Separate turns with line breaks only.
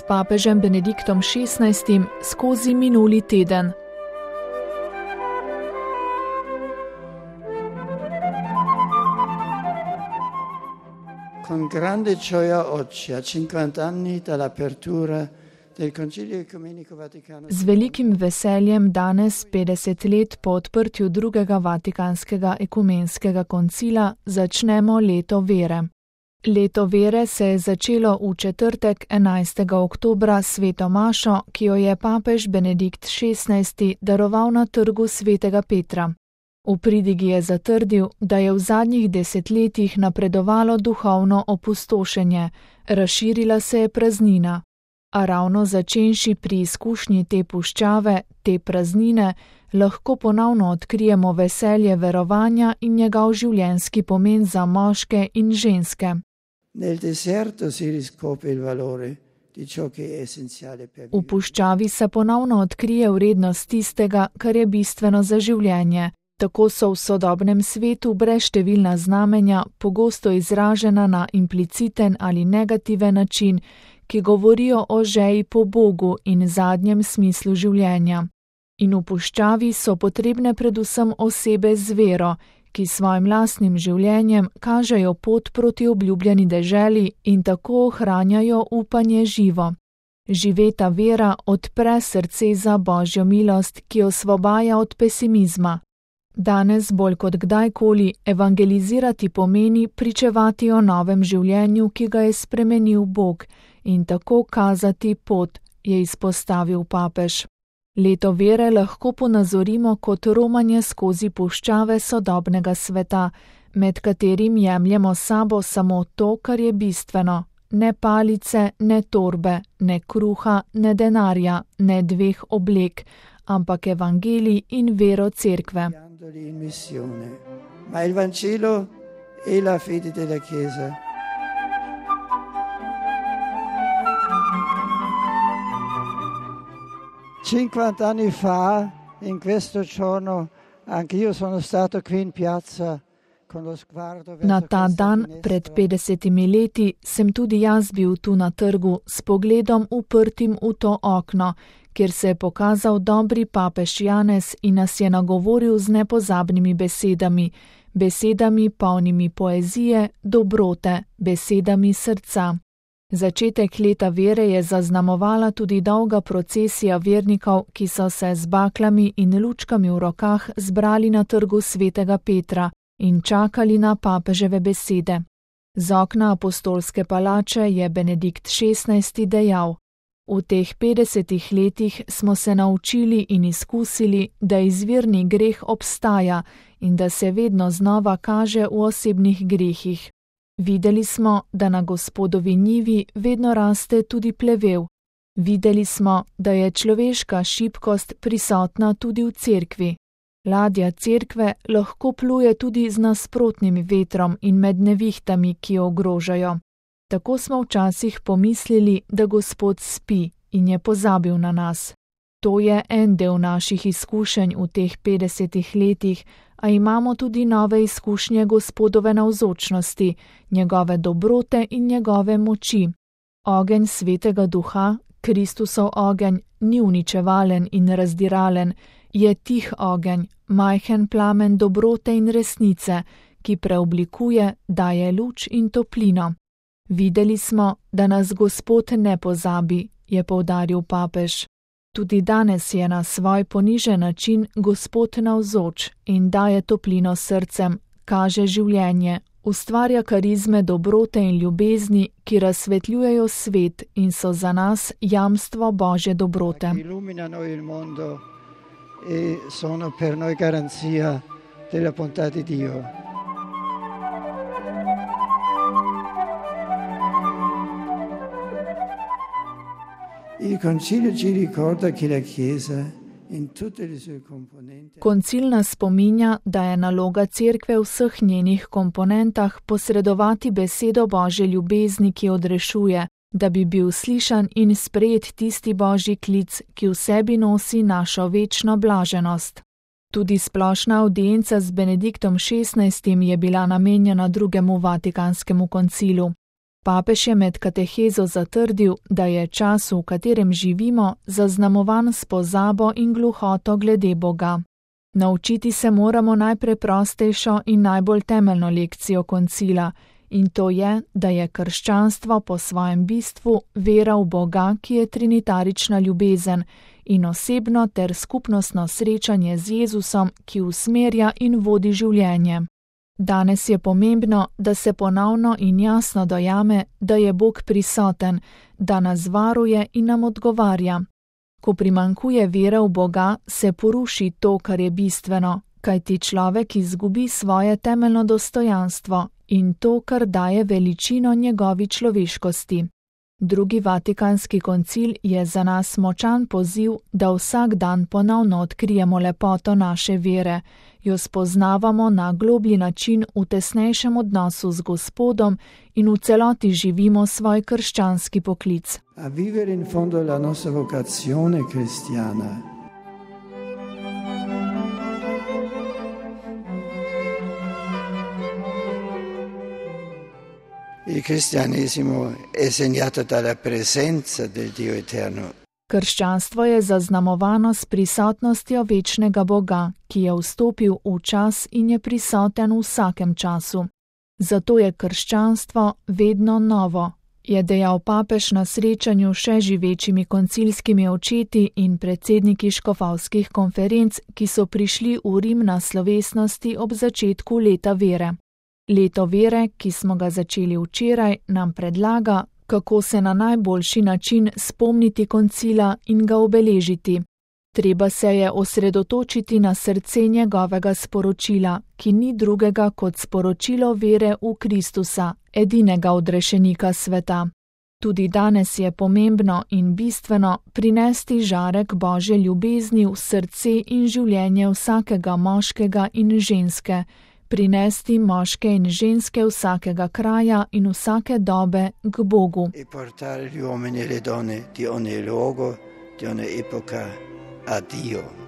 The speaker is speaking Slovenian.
s papežem Benediktom XVI skozi minuli teden.
Con grande gioia oggi, a 50 anni dall'apertura del Concilio Ecumenico Vaticano.
Z velikim veseljem danes, 50 let po odprtju drugega Vatikanskega ekumenskega koncila, začnemo leto vere. Leto vere se je začelo v četrtek 11. oktobra sveto mašo, ki jo je papež Benedikt XVI daroval na trgu svetega Petra. V pridigi je zatrdil, da je v zadnjih desetletjih napredovalo duhovno opustošenje, razširila se je praznina. A ravno začenši pri izkušnji te puščave, te praznine, lahko ponovno odkrijemo veselje verovanja in njegov življenjski pomen za moške in ženske. V puščavi se ponovno odkrije vrednost tistega, kar je bistveno za življenje. Tako so v sodobnem svetu brezštevilna znamenja pogosto izražena na impliciten ali negativen način, ki govorijo o žeji po Bogu in zadnjem smislu življenja. In v puščavi so potrebne predvsem osebe z vero, ki svojim lastnim življenjem kažejo pot proti obljubljeni deželi in tako ohranjajo upanje živo. Živeta vera odpre srce za Božjo milost, ki osvobaja od pesimizma. Danes bolj kot kdajkoli evangelizirati pomeni pričevati o novem življenju, ki ga je spremenil Bog, in tako kazati pot, je izpostavil papež. Leto vere lahko ponazorimo kot romanje skozi puščave sodobnega sveta, med katerim jemljemo sabo samo to, kar je bistveno, ne palice, ne torbe, ne kruha, ne denarja, ne dveh oblek, ampak evangelij in vero cerkve.
Ma il Vangelo è la fede della Chiesa. Cinquant'anni fa, in questo giorno, anch'io sono stato qui in piazza.
Na ta dan pred 50 leti sem tudi jaz bil tu na trgu s pogledom uprtim v to okno, kjer se je pokazal dobri papež Janez in nas je nagovoril z nepozabnimi besedami, besedami polnimi poezije, dobrote, besedami srca. Začetek leta vere je zaznamovala tudi dolga procesija vernikov, ki so se z baklami in lučkami v rokah zbrali na trgu svetega Petra in čakali na papeževe besede. Z okna apostolske palače je Benedikt XVI dejal: V teh 50 letih smo se naučili in izkusili, da izvirni greh obstaja in da se vedno znova kaže v osebnih grehih. Videli smo, da na Gospodovi njivi vedno raste tudi plevel. Videli smo, da je človeška šibkost prisotna tudi v cerkvi. Ladja cerkve lahko pluje tudi z nasprotnim vetrom in med nevihtami, ki jo ogrožajo. Tako smo včasih pomislili, da Gospod spi in je pozabil na nas. To je en del naših izkušenj v teh 50 letih, a imamo tudi nove izkušnje Gospodove navzočnosti, njegove dobrote in njegove moči. Ogenj Svetega Duha, Kristusov ogenj, ni uničevalen in razdiralen, je tih ogenj, majhen plamen dobrote in resnice, ki preoblikuje, daje luč in toplino. Videli smo, da nas Gospod ne pozabi, je poudaril papež. Tudi danes je na svoj ponižen način Gospod navzoč in daje toplino srcem, kaže življenje, ustvarja karizme dobrote in ljubezni, ki razsvetljujejo svet in so za nas jamstvo Božje dobrote.
E sono per noi garanzia della bontà di Dio. Il Concilio ci ricorda che la Chiesa in tutte le sue componenti.
Koncil nas spominja, da je naloga cerkve v vseh njenih komponentah posredovati besedo Božje ljubezni, ki odrešuje, da bi bil slišan in sprejet tisti Božji klic, ki v sebi nosi našo večno blaženost. Tudi splošna avdienca z Benediktom XVI je bila namenjena drugemu Vatikanskemu koncilu. Papež je med katehezo zatrdil, da je čas, v katerem živimo, zaznamovan s pozabo in gluhoto glede Boga. Naučiti se moramo najpreprostejšo in najbolj temeljno lekcijo koncila, in to je, da je krščanstvo po svojem bistvu vera v Boga, ki je trinitarična ljubezen, in osebno ter skupnostno srečanje z Jezusom, ki usmerja in vodi življenje. Danes je pomembno, da se ponovno in jasno dojame, da je Bog prisoten, da nas varuje in nam odgovarja. Ko primanjkuje vere v Boga, se poruši to, kar je bistveno, kajti človek izgubi svoje temeljno dostojanstvo in to, kar daje veličino njegovi človeškosti. Drugi Vatikanski koncil je za nas močan poziv, da vsak dan ponovno odkrijemo lepoto naše vere, jo spoznavamo na globlji način v tesnejšem odnosu z Gospodom in v celoti živimo svoj krščanski poklic.
A vivere in fondo la nostra vocazione cristiana. Il cristianesimo è segnato dalla presenza del Dio eterno.
Krščanstvo je zaznamovano s prisotnostjo večnega Boga, ki je vstopil v čas in je prisoten v vsakem času. Zato je krščanstvo vedno novo, je dejal papež na srečanju še živečimi koncilskimi očeti in predsedniki škofovskih konferenc, ki so prišli v Rim na slovesnosti ob začetku leta vere. Leto vere, ki smo ga začeli včeraj, nam predlaga, kako se na najboljši način spomniti koncila in ga obeležiti. Treba se je osredotočiti na srce njegovega sporočila, ki ni drugega kot sporočilo vere v Kristusa, edinega odrešenika sveta. Tudi danes je pomembno in bistveno prinesti žarek Božje ljubezni v srce in življenje vsakega moškega in ženske, prinesti moške in ženske vsakega kraja in vsake dobe k Bogu.
E portare gli uomini e le donne di ogni luogo, di ogni epoca a Dio.